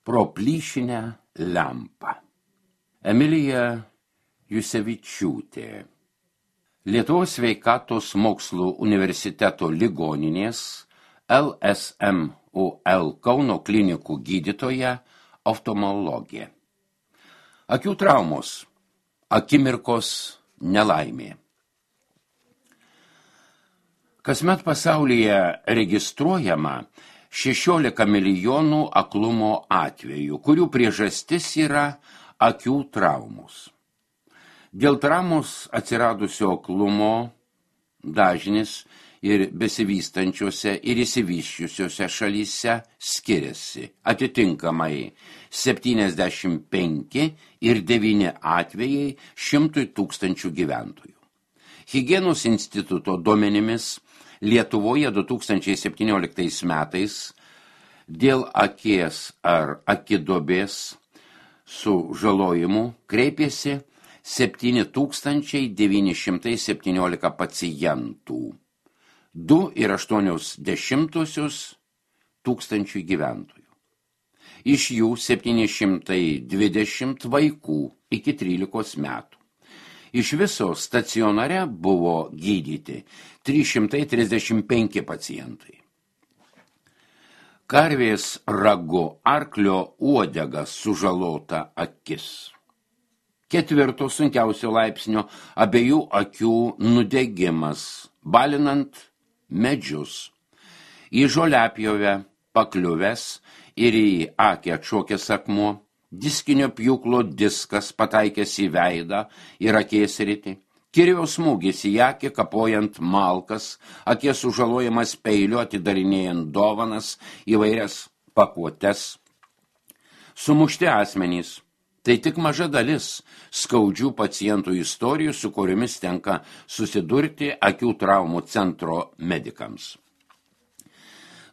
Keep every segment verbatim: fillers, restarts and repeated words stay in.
Pro plyšinę lempą. Emilija Jusevičiūtė. Lietuvos sveikatos mokslų universiteto ligoninės L S M U L Kauno klinikų gydytoja, oftalmologė. Akių traumos. Akimirkos nelaimė. Kasmet pasaulyje registruojama šešiolika milijonų aklumo atvejų, kurių priežastis yra akių traumos. Dėl traumos atsiradusio aklumo dažnis ir besivystančiose ir išsivysčiusiose šalyse skiriasi. Atitinkamai septyniasdešimt penki ir devyni atvejai šimtui tūkstančių gyventojų. Higienos instituto duomenimis Lietuvoje du tūkstančiai septynioliktais metais dėl akies ar akidobės sužalojimų kreipėsi septyni tūkstančiai devyni šimtai septyniolika pacientų, du ir aštuonios dešimtosios tūkstančių gyventojų. Iš jų septyni šimtai dvidešimt vaikų iki trylikos metų. Iš viso stacionare buvo gydyti trys šimtai trisdešimt penki pacientai. Karvės ragu arklio uodega sužalota akis. Ketvirto sunkiausio laipsnio abiejų akių nudegimas, balinant medžius. Į žoliapjovę pakliuvęs ir į akį atšokęs akmuo, diskinio pjūklo diskas pataikęs į veidą ir akies sritį, kirvio smūgis į akį kapojant malkas, akies sužalojimas peiliu atidarinėjant dovanas, įvairias pakuotes. Sumušti asmenys. Tai tik maža dalis skaudžių pacientų istorijų, su kuriomis tenka susidurti akių traumų centro medikams.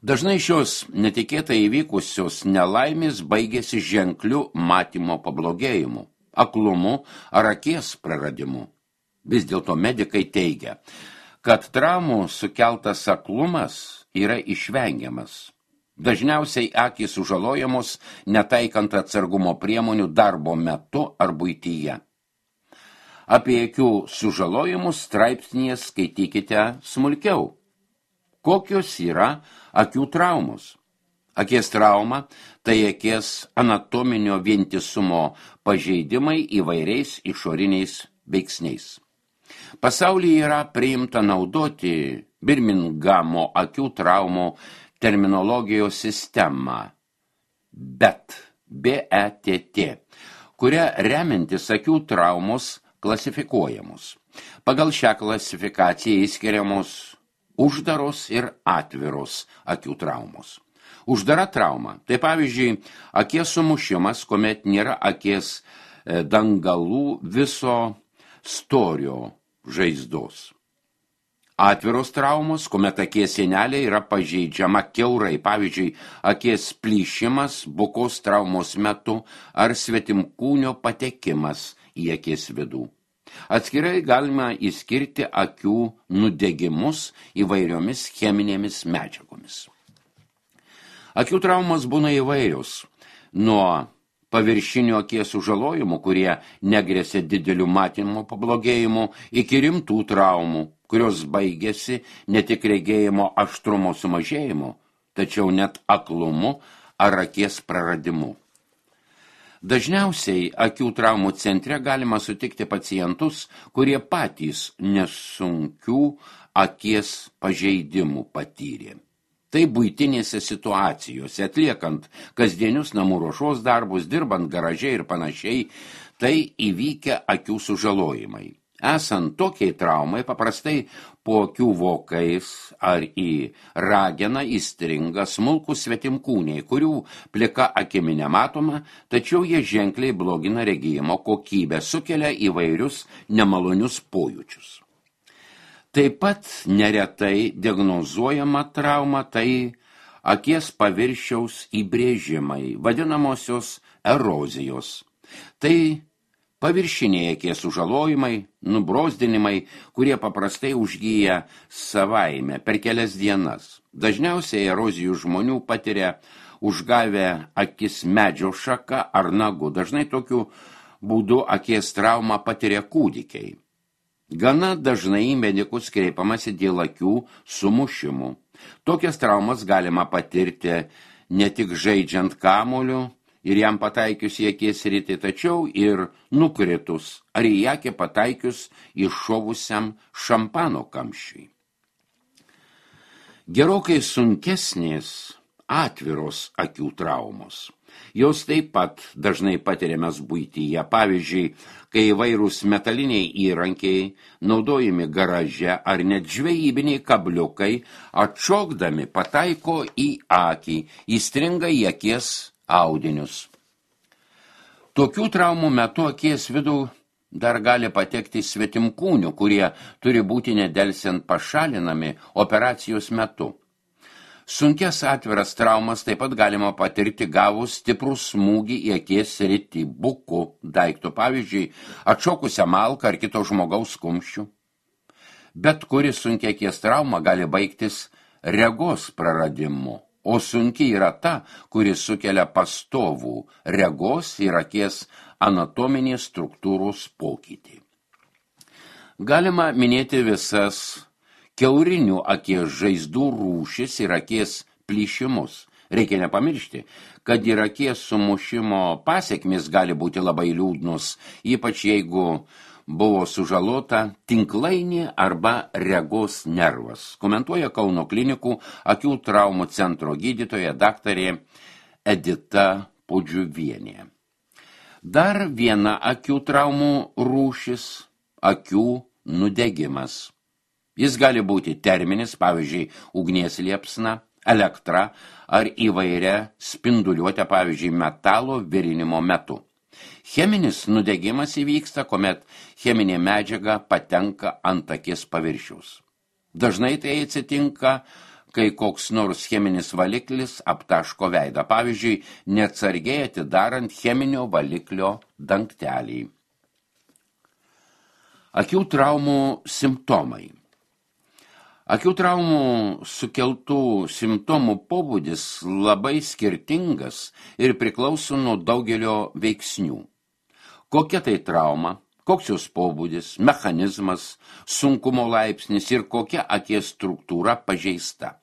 Dažnai šios netikėtai įvykusios nelaimės baigėsi ženkliu matymo pablogėjimu, aklumu ar akies praradimu. Vis dėlto medikai teigia, kad traumų sukeltas aklumas yra išvengiamas. Dažniausiai akys sužalojamos netaikant atsargumo priemonių darbo metu ar buityje. Apie akių sužalojimus straipsnyje skaitykite smulkiau. Kokios yra akių traumos? Akies trauma – tai akies anatominio vientisumo pažeidimai įvairiais išoriniais veiksniais. Pasaulyje yra priimta naudoti Birmingamo akių traumų terminologijos sistemą B E T, B E T T, kuria remiantis akių traumos klasifikuojamos. Pagal šią klasifikaciją įskiriamos uždaros ir atviros akių traumos. Uždara trauma – tai pavyzdžiui akies sumušimas, kuomet nėra akies dangalų viso storio žaizdos. Atviros traumos, kuomet akies sienelė yra pažeidžiama kiaurai, pavyzdžiui, akies plyšimas bukos traumos metu ar svetimkūnio patekimas į akies vidų. Atskirai galima įskirti akių nudegimus įvairiomis cheminėmis medžiagomis. Akių traumos būna įvairios, nuo paviršinių akies sužalojimų, kurie negresia dideliu matymo pablogėjimu, iki rimtų traumų, kurios baigėsi ne tik regėjimo aštrumo sumažėjimu, tačiau net aklumu ar akies praradimu. Dažniausiai akių traumų centre galima sutikti pacientus, kurie patys nesunkių akies pažeidimų patyrė. Tai buitinėse situacijose, atliekant kasdienius namų ruošos darbus, dirbant garaže ir panašiai, tai įvykę akių sužalojimai. Esant tokiai traumai, paprastai po akių vokais ar į rageną įstringa smulkūs svetimkūniai, kurių plika akimi nematoma, tačiau jie ženkliai blogina regėjimo kokybę, sukelia įvairius nemalonius pojūčius. Taip pat neretai diagnozuojama trauma tai akies paviršiaus įbrėžimai, vadinamosios erozijos. Tai paviršiniai akies sužalojimai, nubrozdinimai, kurie paprastai užgyja savaime per kelias dienas. Dažniausiai erozijų žmonių patiria užgavę akis medžio šaka ar nagu. Dažnai tokiu būdu akies traumą patiria kūdikiai. Gana dažnai į medikus kreipiamasi dėl akių sumušimų. Tokias traumas galima patirti ne tik žaidžiant kamuoliu ir jam pataikius į akies sritį, tačiau ir nukritus ar į akį pataikius iššovusiam šampano kamščiui. Gerokai sunkesnės atviros akių traumos. Jos taip pat dažnai patiriamas buityje. Pavyzdžiui, kai įvairūs metaliniai įrankiai, naudojami garaže ar net žvejybiniai kabliukai, atšokdami pataiko į akį, įstringa į akies audinius. Tokių traumų metu akies vidų dar gali patekti svetimkūnių, kurie turi būti nedelsiant pašalinami operacijos metu. Sunkias atviras traumas taip pat galima patirti gavus stiprų smūgį į akies sritį buku daiktų, pavyzdžiui, atšokusią malką ar kito žmogaus kumščių. Bet kuri sunkia akies trauma gali baigtis regos praradimu, o sunki yra ta, kuri sukelia pastovų regos ir akies anatominės struktūros pokytį. Galima minėti visas kiaurinių akies žaizdų rūšis ir akies plyšimus. Reikia nepamiršti, kad ir akies sumušimo pasekmės gali būti labai liūdnos, ypač jeigu buvo sužalota tinklainė arba regos nervas. Komentuoja Kauno klinikų akių traumų centro gydytoja daktarė Edita Pudžiuvienė. Dar viena akių traumų rūšis – akių nudegimas. Jis gali būti terminis, pavyzdžiui, ugnies liepsna, elektra ar įvairia spinduliuotė, pavyzdžiui, metalo virinimo metu. Cheminis nudegimas įvyksta, kuomet cheminė medžiaga patenka ant akies paviršiaus. Dažnai tai atsitinka, kai koks nors cheminis valiklis aptaško veidą, pavyzdžiui, neatsargiai atidarant cheminio valiklio dangtelį. Akių traumų simptomai. Akių traumų sukeltų simptomų pobūdis labai skirtingas ir priklauso nuo daugelio veiksnių. Kokia tai trauma, koks jos pobūdis, mechanizmas, sunkumo laipsnis ir kokia akies struktūra pažeista.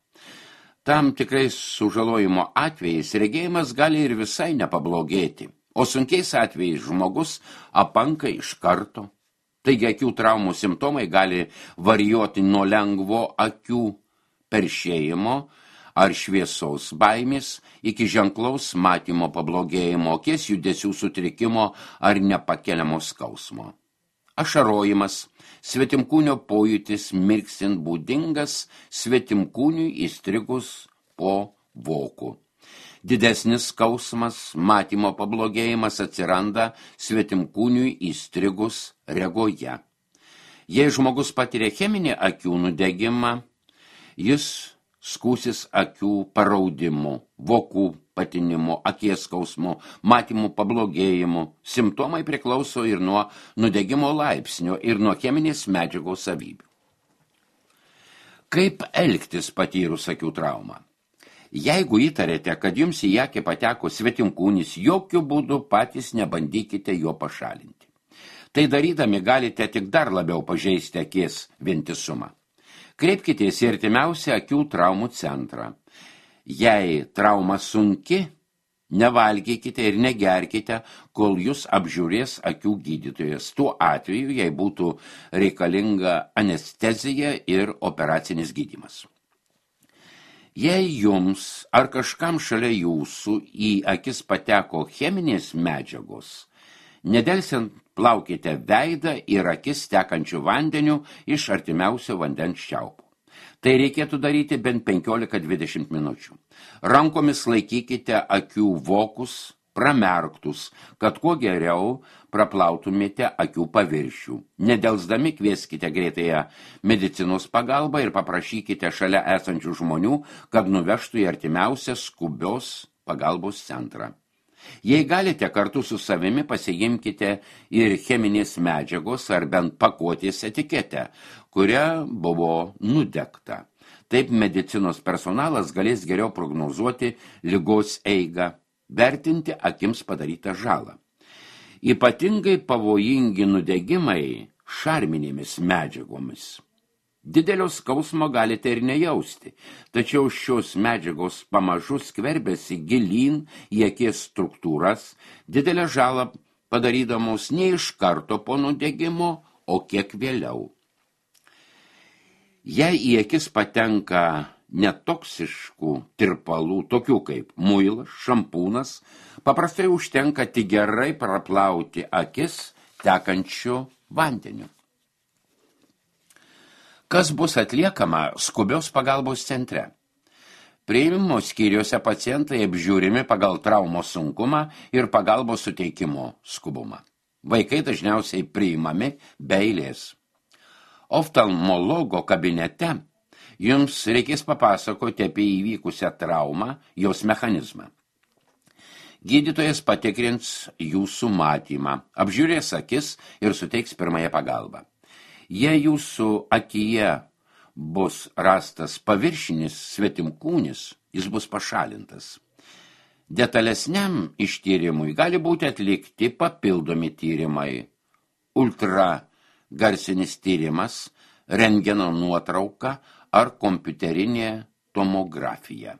Tam tikrais sužalojimo atvejais regėjimas gali ir visai nepablogėti, o sunkiais atvejais žmogus apanka iš karto. Taigi akių traumų simptomai gali varijuoti nuo lengvo akių peršėjimo ar šviesos baimės iki ženklaus matymo pablogėjimo, akies judesių sutrikimo ar nepakeliamo skausmo. Ašarojimas, svetimkūnio pojūtis mirksint būdingas svetimkūniui įstrigus po voku. Didesnis skausmas, matymo pablogėjimas atsiranda svetimkūniui įstrigus regoje. Jei žmogus patiria cheminį akių nudegimą, jis skūsis akių paraudimu, vokų patinimu, akies skausmu, matymo pablogėjimu. Simptomai priklauso ir nuo nudegimo laipsnio ir nuo cheminės medžiagos savybių. Kaip elgtis patyrus akių traumą? Jeigu įtarėte, kad jums į akį pateko svetimkūnis, jokių būdų patys nebandykite jo pašalinti. Tai darydami galite tik dar labiau pažeisti akies vientisumą. Kreipkitės į artimiausią akių traumų centrą. Jei trauma sunki, nevalgykite ir negerkite, kol jūs apžiūrės akių gydytojas. Tuo atveju, jei būtų reikalinga anestezija ir operacinis gydymas. Jei jums ar kažkam šalia jūsų į akis pateko cheminės medžiagos, nedelsiant plaukite veidą ir akis tekančių vandeniu iš artimiausio vandens čiaupo. Tai reikėtų daryti bent penkiolika dvidešimt minučių. Rankomis laikykite akių vokus pramerktus, kad kuo geriau praplautumėte akių paviršių. Nedelsdami kvieskite greitąją medicinos pagalbą ir paprašykite šalia esančių žmonių, kad nuvežtų į artimiausią skubios pagalbos centrą. Jei galite, kartu su savimi pasiimkite ir cheminės medžiagos ar bent pakuotės etiketę, kuria buvo nudegta. Taip medicinos personalas galės geriau prognozuoti ligos eigą, vertinti akims padarytą žalą. Ypatingai pavojingi nudegimai šarminėmis medžiagomis. Didelio skausmo galite ir nejausti, tačiau šios medžiagos pamažu skverbėsi gilyn į akies struktūras, didelę žalą padarydamos ne iš karto po nudegimo, o kiek vėliau. Jei į akis patenka netoksiškų tirpalų, tokių kaip muilas, šampūnas, paprastai užtenka tik gerai praplauti akis tekančiu vandeniu. Kas bus atliekama skubios pagalbos centre? Priėmimo skyriuose pacientai apžiūrimi pagal traumos sunkumą ir pagalbos suteikimo skubumą. Vaikai dažniausiai priimami be eilės. Oftalmologo kabinete jums reikės papasakoti apie įvykusią traumą, jos mechanizmą. Gydytojas patikrins jūsų matymą, apžiūrės akis ir suteiks pirmąją pagalbą. Jei jūsų akyje bus rastas paviršinis svetimkūnis, jis bus pašalintas. Detalesniam ištyrimui gali būti atlikti papildomi tyrimai, ultragarsinis tyrimas, rentgeno nuotrauka ar kompiuterinė tomografija.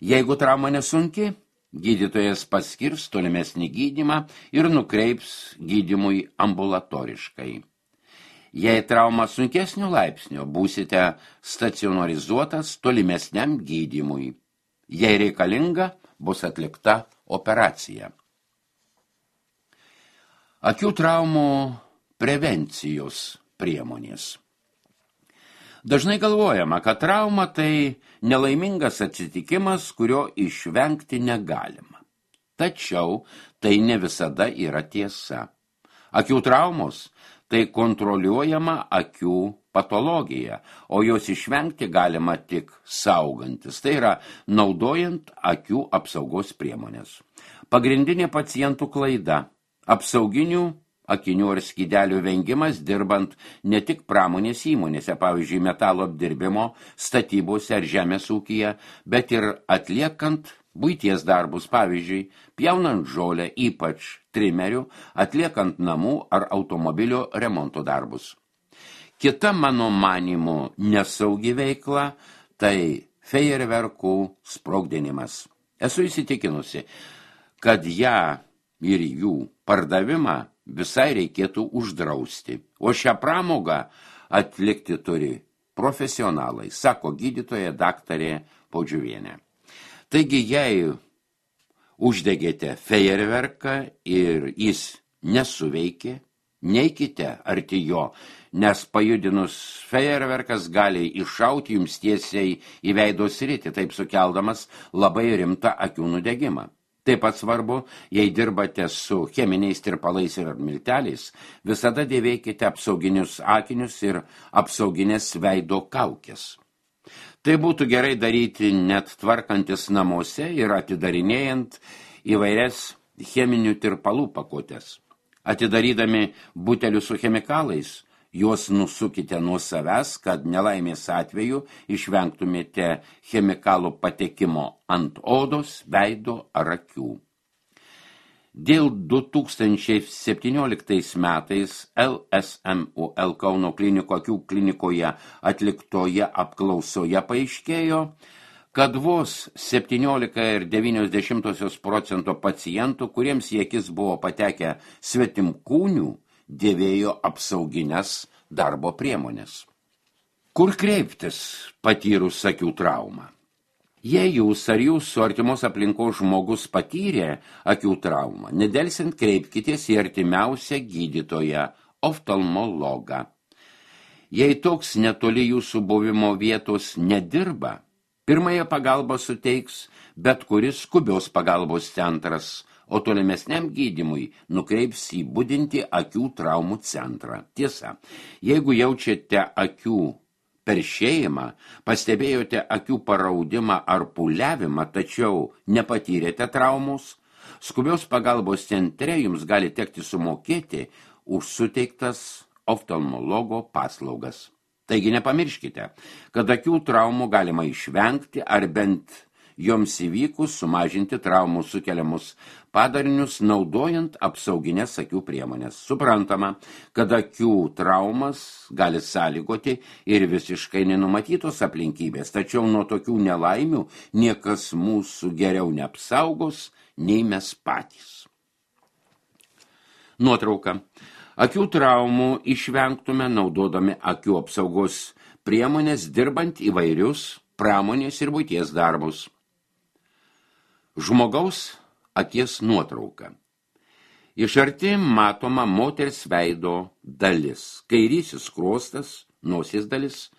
Jeigu trauma nesunki, gydytojas paskirs tolimesnį gydymą ir nukreips gydymui ambulatoriškai. Jei trauma sunkesnio laipsnio, būsite stacionarizuotas tolimesniam gydymui. Jei reikalinga, bus atlikta operacija. Akių traumų prevencijos priemonės. Dažnai galvojama, kad trauma tai nelaimingas atsitikimas, kurio išvengti negalima. Tačiau tai ne visada yra tiesa. Akių traumos tai kontroliuojama akių patologija, o jos išvengti galima tik saugantis, tai yra naudojant akių apsaugos priemonės. Pagrindinė pacientų klaida – apsauginių akinių ar skydelių vengimas dirbant ne tik pramonės įmonėse, pavyzdžiui, metalo apdirbimo, statybose ar žemės ūkyje, bet ir atliekant buities darbus, pavyzdžiui, pjaunant žolę, ypač trimerių, atliekant namų ar automobilio remonto darbus. Kita mano manymu nesaugi veikla – tai fejerverkų sprogdinimas. Esu įsitikinusi, kad ją ir jų pardavimą visai reikėtų uždrausti, o šią pramogą atlikti turi profesionalai, sako gydytoja daktarė Podžiuvienė. Taigi, jei uždegėte fejerverką ir jis nesuveikė, neikite arti jo, nes pajudinus fejerverkas gali iššauti jums tiesiai į veido sritį, taip sukeldamas labai rimtą akių nudegimą. Taip pat svarbu, jei dirbate su cheminiais tirpalais ir milteliais, visada dėvėkite apsauginius akinius ir apsauginės veido kaukės. Tai būtų gerai daryti net tvarkantis namuose ir atidarinėjant įvairias cheminių tirpalų pakuotes. Atidarydami butelius su chemikalais, juos nusukite nuo savęs, kad nelaimės atveju išvengtumėte chemikalų patekimo ant odos, veido ar akių. Dėl du tūkstančiai septynioliktais metais L S M U L Kauno kliniko akių klinikoje atliktoje apklausoje paaiškėjo, kad vos septyniolika ir devynios dešimtosios procento pacientų, kuriems į akis buvo patekę svetimkūnių, dėvėjo apsaugines darbo priemonės. Kur kreiptis patyrus akių traumą? Jei jūs ar jūsų artimos aplinkos žmogus patyrė akių traumą, nedelsiant kreipkitės į artimiausią gydytoją, oftalmologą. Jei toks netoli jūsų buvimo vietos nedirba, pirmąją pagalbą suteiks bet kuris skubios pagalbos centras, o tolimesniam gydymui nukreips į budintį akių traumų centrą. Tiesa, jeigu jaučiate akių peršėjimą, pastebėjote akių paraudimą ar pūliavimą, tačiau nepatyrėte traumos, skubios pagalbos centre jums gali tekti sumokėti už suteiktas oftalmologo paslaugas. Taigi nepamirškite, kad akių traumų galima išvengti ar bent joms įvykus sumažinti traumų sukeliamus padarinius naudojant apsauginės akių priemonės. Suprantama, kad akių traumas gali sąlygoti ir visiškai nenumatytos aplinkybės, tačiau nuo tokių nelaimių niekas mūsų geriau neapsaugos, nei mes patys. Nuotrauka. Akių traumų išvengtume naudodami akių apsaugos priemonės dirbant įvairius pramonės ir buities darbus. Žmogaus akies nuotrauka. Iš arti matoma moters veido dalis. Kairysis skruostas, nosies dalis,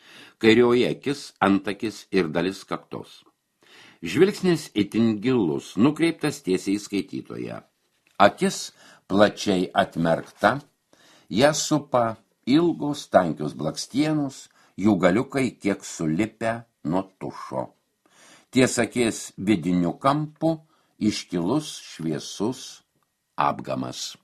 kairioji akis, antakis ir dalis kaktos. Žvilgsnis itin gilus, nukreiptas tiesiai į skaitytoją. Akis plačiai atmerkta, ją supa ilgos tankios blakstienos, jų galiukai kiek sulipę nuo tušo. Ties akies vidiniu kampu iškilus šviesus apgamas.